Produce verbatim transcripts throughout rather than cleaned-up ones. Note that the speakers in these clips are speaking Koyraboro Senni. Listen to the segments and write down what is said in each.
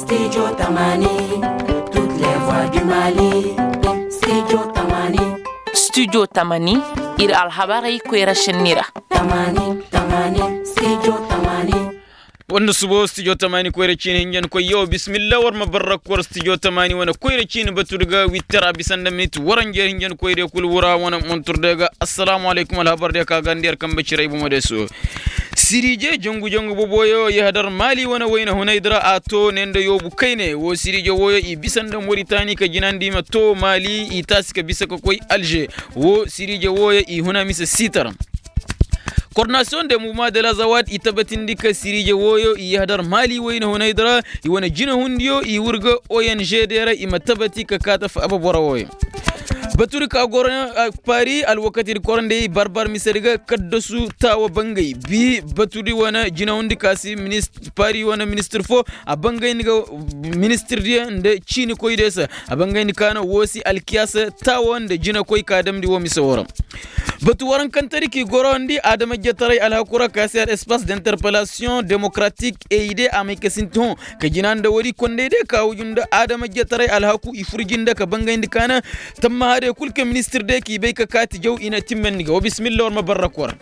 Studio tamani, toutes les voix du mali. Studio tamani. Studio tamani, ir alhabarey koyra šenni ra. Tamani tamani, studio tamani. Wanda subo studio tamani koyra ciini hinjankoy yo bismillah war ma barra kor studio tamani wane koyra ciini batu daga witter a bisa nda minit waranjer hinjankoy de kul wura wane montur daga. Assalamu alaykum alhabar de ka gandi yar kambe ciray bumo de so. Sirije jangu jangu boboyo yahadar mali wane wayna hunay dira a to ne nda yobu kayne wo sirije woyo i bisa nda moritani ka jinandi ma to mali i taasi ka bisa ka koy alger. Wo sirije woyo i huna mise sitar. Kordinasiyoŋ de muvuma de la zawad i tabatindi ka sirije woyo i yahadar mali wayna hunay dira i wane jinahundiyo i wurga ong de ra i ma tabati ka kaata faaba boro woyo. Batudi ka goro pari alwakatidi korondey barbar misedi ga kaddasu taawa bangay bi batudi wane jinahundi ka si pari wane ministir fo a bangayndi ga ministirdiyo nda ciinikoydiyo se. A bangayndi ka no woo si alkiyaasa taawa nda jinakoy ka damndi woo mise woo ra. Batu warankantedi k'i gorondi adamajjataray alhaku ra ka si al espace d'interpellation démocratique eide a may ka sinti hõ ka jina nda woodi kondey day ka huju nda adamajjataray alhaku i fur jinde ka bangayndi ka na. Tammaha day kul kaŋ ministir day k'i bay ka kaati jaw i na timmandi ga wa bismillah war ma barra kora.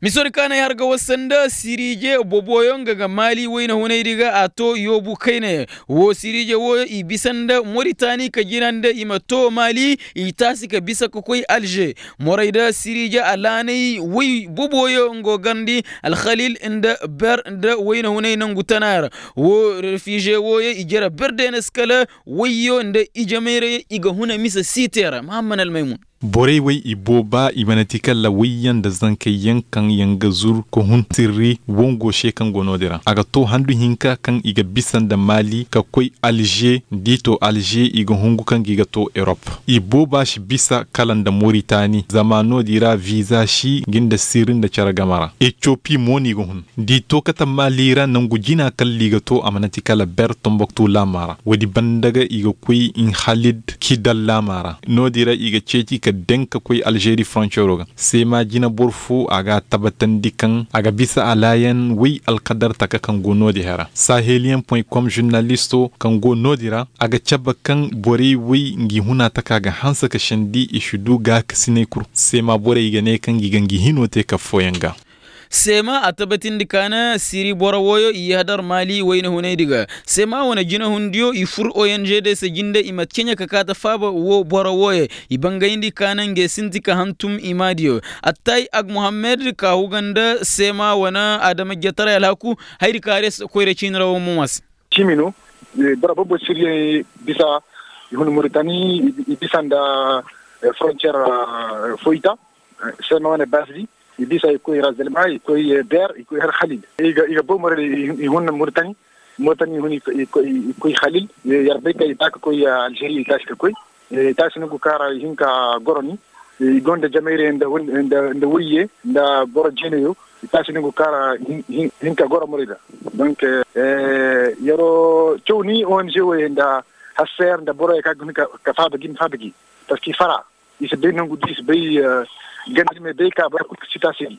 Misodi ka na ay har ga wasa nda sirije boboyo nga ga mali wayna hunaydi ga a to yoobu kayna. Wo sirije wooyo i bisa nda moritani ka jina nda i ma to mali i taasi ka bisa ka koy alže. Morayda sirije alaanay way boboyo nga garndi alhalil nda ber nda wayna hunay nangu tana ra. Wo refiže wooyo i jere ber deenas kala wayyo nda ijemayrayyo i ga huna mise siite ra mahamman almaymun. Borey wey i booba i mana ti kala wayyaŋ nda zankayyaŋ kaŋ yaŋ ga zur ka hun sirri wongo se kaŋ go no-din ra a ga to handu hinka kaŋ i ga bisa nda mali ka koy alže da i to alže i ga hungu kaŋ ga i ga to erop. I booba si bisa kala nda moritani zama no-din ra viza si ga nda sirri nda care game ra etiyopi mo no i ga hun. Da i to kate mali ra nangu jina kalla i ga to a mana ti kala ber tomboktu laama ra woodi banda ga i ga koy nhalid kidal laama ra. No-din ra i ga ceeci ka daŋ ka koy alžeri foroncero ga. Seema jina boro fo a ga a tabatandi kaŋ a ga bisa alaayan way alkadar taka kaŋ go no-din hera saheliyaŋ point com žurnalisto kaŋ go no-din ra a ga cabe kaŋ borey way ngi huna taka ga hanse ka sendi i si du gaakasiney kul seema borey ga ne kaŋ ngi ga ngi hino te ka fooyaŋ ga. Seema a tabatindi ka na siri boro wooyo i yahadar maali wayna hunaydi ga. Seema wane jinahundiyo i fur ong day se jinde i ma ceɲe ka kaate faaba woo boro wooyo. I bangayndi ka na ngey sinti ka hantum i maadiyo. Attay ag muhammed ka huga nda seema wane adamajjataray alhaku. Hayadi ka har ya si koyra ciini ra woo mo ma se. Cimi no. Boro boobo siriyaŋ bisa i hun muritani i bisa nda foroncer foyta. Seema wane baasi di i bisa i koy razelma i koy ber i koy har halil. I ga boo morel i hun muritani. Muritani i hun i koy halil. Yer bay ka i ba ka koy alžeri i taasi ka koy i taasi nongu kaŋ ra i hin ka goro ni. I gonda jamayre nda wayye nda boro jeenayo. I taasi nongu kaŋ ra i hin ka goro morey ra. Donk yeroo caw ni ong woyey nda hasseer nda boroyo kaŋ ga hin ka faaba gi ma faaba gi. Parski fara i si bay nangu di i si bay ganda di ma bay ka boro kul ka si taasi di.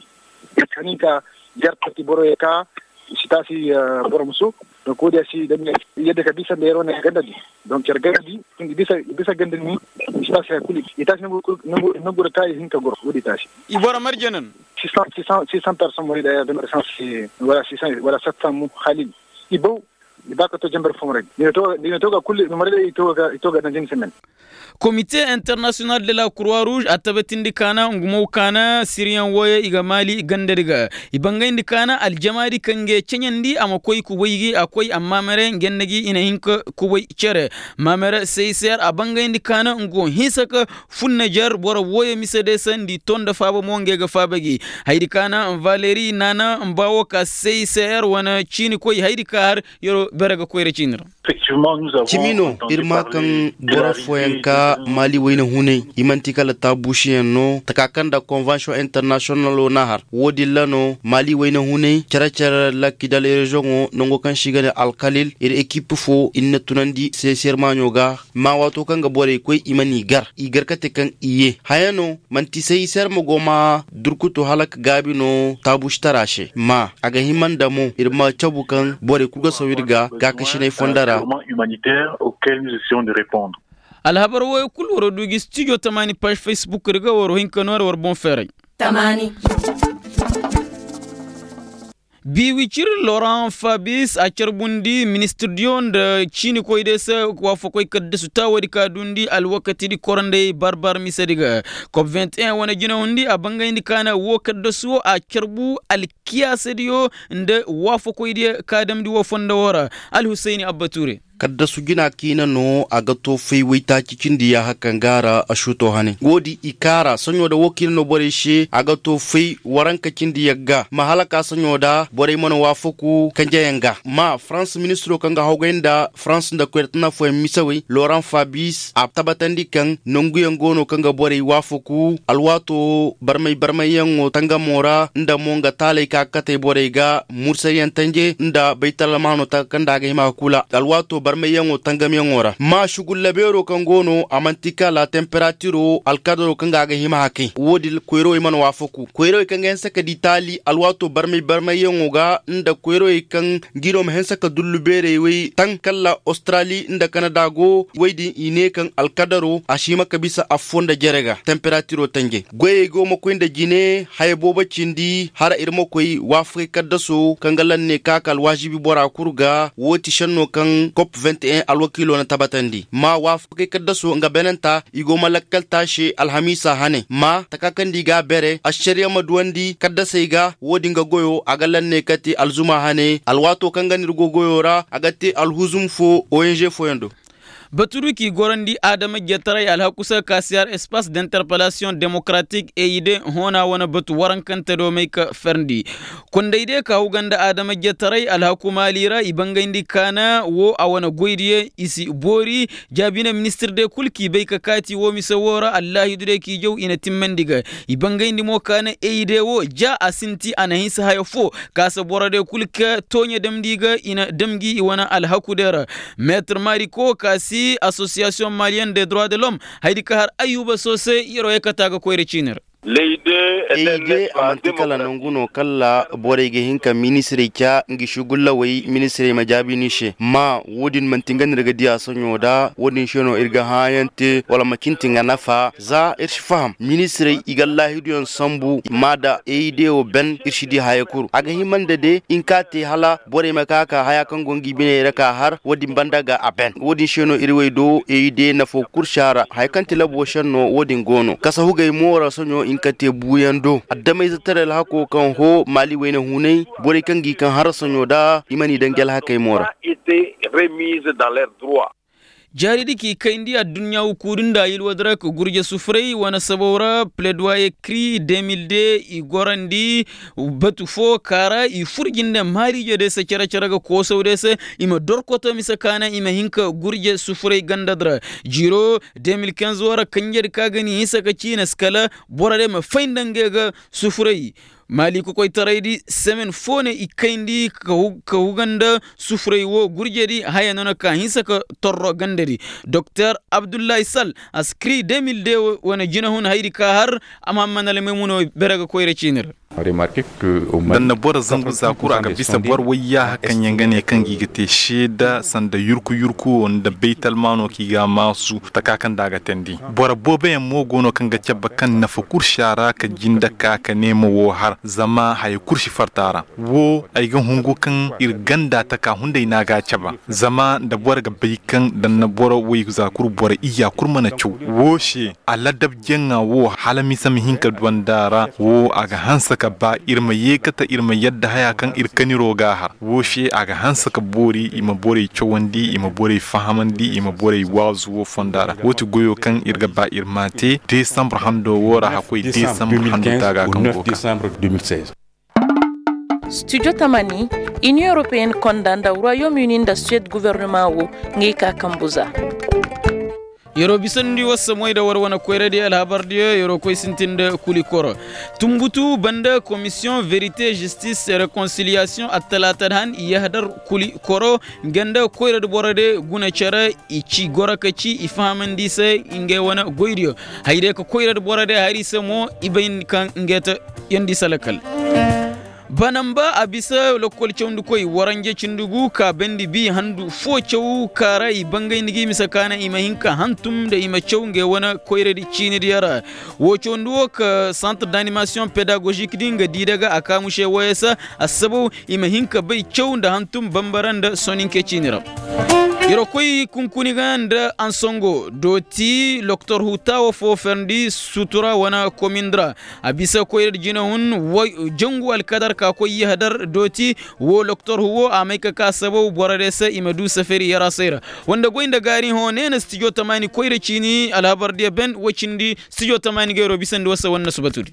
Kani ka yer parti boroyo ka i si taasi boro muso. Donk woodi a si dam yadda ka bisa nda yer wane ganda di. Donk yer ganda di i bisa ganda ni i si taasi hari kul i taasi nangu ra ka i hin ka goro woodi taasi. I boro marje nan. Six cents personnes wari da yer dam resansi wala sept cents mu halil. I baw i ba ka to jambar fo maray. Dina to ga kul maray da i to ga daŋ jin semaine. Komite internasiyonal de la kurwa ruuz a tabatindi ka na ngu mo ka na siriyaŋ wooyo i ga maali gandadi ga. I bangayndi ka na aljamaadi kaŋ ga ceɲandi a ma koy kubay gi a koy amma mere nge nda gi i na hin ka kubay cere. Mamere seyser a bangayndi ka na ngu hinsa ka funna jer boro wooyo mise day se nda i to nda faaba mo nge ga faaba gi. Hayadi ka na valeri naana mba woo ka seyser wane ciini koy hayadi ka har yeroo bere ga koyra ciini ra. Cimi no ir maa kaŋ boro fooyaŋ ka maali wayna hunay i man'ti kala taabuusiyaŋ no taka kaŋ nda konvansiyoŋ internasiyonalo na har wo-din ra no maali wayna hunay cere-cere lakidal reziyoŋo nango kaŋ se i ga ne alkalil ir ekip fo ir na tunandi seeseer maaɲo ga. Ma waato kaŋ ga borey koy i mana i gar i gar kate kaŋ i ye haya no man'ti say se ir ma go ma durkutu hala ka gaabi no taabuusitara se ma a ga hima nda mo ir ma cabu kaŋ borey kulu ga saw ir ga gaakasinay fondara. Alhabar wooyo kul war du gi studio tamaani paaž facebook ra ga war hin ka noora war boŋ feeray. Biiwicir loran fabis a carbundi ministirdiyo nda ciinikoydiyo se waafakoy kaddasu taawadi ka duundi alwakatidi korandey barbar misedi ga. Kop vingt et un wane jinahundi a bangayndi kaana woo kaddasu woo a carbu alkiyaasadiyo nda waafakoydiyo ka damndi woo fondo woo ra. Alhusayni abba tuure. Kaddasu jina kiina no a ga too fay waytaaci cindi yaaha kaŋ ga a ra a suutoo hane woo din i kaara soɲoo da woo kiina no borey se a ga too fay waranka cindi yagga ma hala ka soɲoo da borey mana waafaku kanjeyaŋ ga ma farans ministiroo kaŋ ga hawgay nda farans nda koyra tana fooyaŋ misawey loran fabis a tabatandi kaŋ nanguyaŋ go no kaŋ ga borey waafaku alwaatoo barmay barmayyaŋo tangamoo ra nda mo nga taaley ka ga katey borey ga mursayaŋ tanje nda baytalmaanoo taka kaŋ nda a ga hima ka kula alwaatoo barmayyaŋo tangamyaŋo ra ma sugulla beeroo kaŋ go no a man'ti kala temperatiro alkadaroo kaŋ ga a ga hima ka kay woo din koyrawey mana waafaku koyrawey kaŋ ga hinsa ka di taali alwaatoo barmay barmayyaŋo ga nda koyrawey kaŋ ngi no ma hinsa ka dullu beerey wey taŋ kala australi nda kanada go wey din i ne kaŋ alkadaro a si hima ka bisa affoo nda jere ga temperatiro tanjey goyey go ma koy nda jine haya boobo cindi hala ir ma koy waafakey kaddaso kaŋ ga lanne ka ka alwaazibi bora kul ga woo ti šennoo kaŋ kop vingt et un alwakiiloo na tabatandi ma waafakey kaddaso nga benenta i go ma lakkal taase alhamiisa hane ma taka kaŋ nda i ga a bere ašariya ma duwandi kaddasey ga woo din ga goyoo a ga lanne kate alzuma hane alwaatoo kaŋ ga no ir go goyoo ra a ga te alhuzum foo ong fooyaŋ do. Batu du k'i gorandi adama-ijetaray alhaku se ka si har espace d'interpellation démocratique e i de hoona wane batu warankante do may ka ferndi. Kondey de ka huga nda adama-ijetaray alhaku maali ra i bangayndi kaana woo a wane goydiyo i si boori. Jaabine ministir de kul k'i bay ka kaati woo mise woo ra allaahidu de k'i jaw i na timmandi ga i bangayndi mo kaana e i de woo ja a sinti a na hinsa haya foo. Kaasa boro de kul ka tooɲe damndi ga i na dam gi i wane alhaku de ra. Meetir mariko ka si asosiyasiyoŋ maliyen de droit de l'homme haydi ka har ayuba soose yeroo ye kata ga koyra ciini ra. Ey de a man'ti kala nangu no kala borey ga hin ka ministirey ca ngi sugullawey ministirey ma jaabi ni se ma woo din man'ti nga no ir ga di a soɲo nda woo din se no ir ga hãayaŋ te wala ma cinti nga nafa za ir si faham ministirey i ga allaahiduyaŋ sambu ma da ey de wo ben ir si di haya kul a ga hima nda de in ka te hala borey ma ka ka haya kaŋ go ngi biney ra ka har woo din banda ga a ben woo din se no ir wey do ey de nafo kul si a ra haya kaŋ ti labo senno woo din go no kasa hugey mo ra soɲo in ka te buuyaŋ do addamayzetaray alhako kaŋ hoo maali wayna hunay borey kaŋ g'i kaŋ hara soɲo nda i mana i daŋ gi alhakey mo ra. Jaaridi k'i kayndi adduɲɲa hukuudi nda a yilwadi ra ka gurje sufuray wane sabaw ra pledoyer kri deux mille deux i gorandi batu fo ka ra i fur jinde maariijediyo se cere-cere ga koosawdiyo se i ma dorkoto mise ka naŋ i ma hin ka gurje sufuray gandadi ra. Jiiro deux mille quinze wo ra kanjedi ka ga ni hinsa ka ciina si kala borodiyo ma fay nda ngey ga sufuray. Maali kokoytaraydi semen fo ne i kayndi ka huga nda sufuray wo gurjedi haya no na ka hinsa ka torro gandadi. Doktor abdullahi sal a si kiri deux mille deux wane jinahun haydi ka har a ma hamman almaymuno bere ga koyra ciini ra. Da na boro zangu za kul a ga bisa boro wayyaaha kaŋ yaŋ ga ne kaŋ gi ga te seeda sanda yurku yurku wo nda baytalmaano kaŋ i ga a maasu taka kaŋ nda a ga teendi. Boro booboyaŋ mo go no kaŋ ga cabe kaŋ nafa kul si a ra ka jinde ka ka ne ma woo har zama haya kul si farta a ra. Woo ay ga hungu kaŋ ir ganda taka hunday no a ga a cabe. Zama nda boro ga bay kaŋ da na boro woy za kul boro iyya kul mana caw woo se aladabjaŋa woo hala mise ma hin ka duwandi a ra woo a ga hanse ka ba ir ma yeekate ir ma yadda haya kaŋ ir kaniroo ga a har woo se a ga hanse ka boori i ma borey cawandi i ma borey fahamandi i ma borey waazu woo fonda ra woo ti goyoo kaŋ ir ga ba ir m'a te desambre handoo woo ra hakkoy desambre handoo taaga kaŋ go ga. Studio tamani Iniyoŋ europeyen konda nda royaume uni nda suwed gobornoma wo, ngey ka kambu za. Yer'o bisandi war se moy nda war wane koyradiyo alhabardiyo yer'o koy sintin nda kuli koro. Tumbutu banda komisiyoŋ verite jistis rekonsiliyasiyoŋ attalaata da han i yahadar kuli koro, nga nda koyradi borodiyo guna cere. I ci goro ka ci i fahamandi i se ngey wane goydiyo. Haydiyo ka koyradi borodiyo hari i se mo i bay kaŋ ngey te yandi i se lakal. Banamba a bisa lokkol cawndikoy waranje cindi gu ka bandi bi handu fo caw ka ra i bangayndi ga i mise ka naŋ i ma hin ka hantum nda i ma caw ngey wane koyradi ciinidiyo ra. Woo cawndi woo ka santre d'animasiyoŋ pedagozikdi nga di daga a ka muse wooyo se. Assabaw i ma hin ka bay caw nda hantum bambara nda soninke ciini ra. Yer koy kunkuni ga nda ansongo dooti loktor huta woo fo ferndi sutura wane komindi ra. A bisa koyra da jinahun jangu alkadar ka koy yahadar dooti. Woo loktor huwo a may ka ka sabaw boro day se i ma du safari yaraasay ra. Woo nda goy nda gaari hõ neena stijo tamaani koyra ciini alhabar diya ben woo cindi stijo tamaani gayro bisandi war se war na subatudi.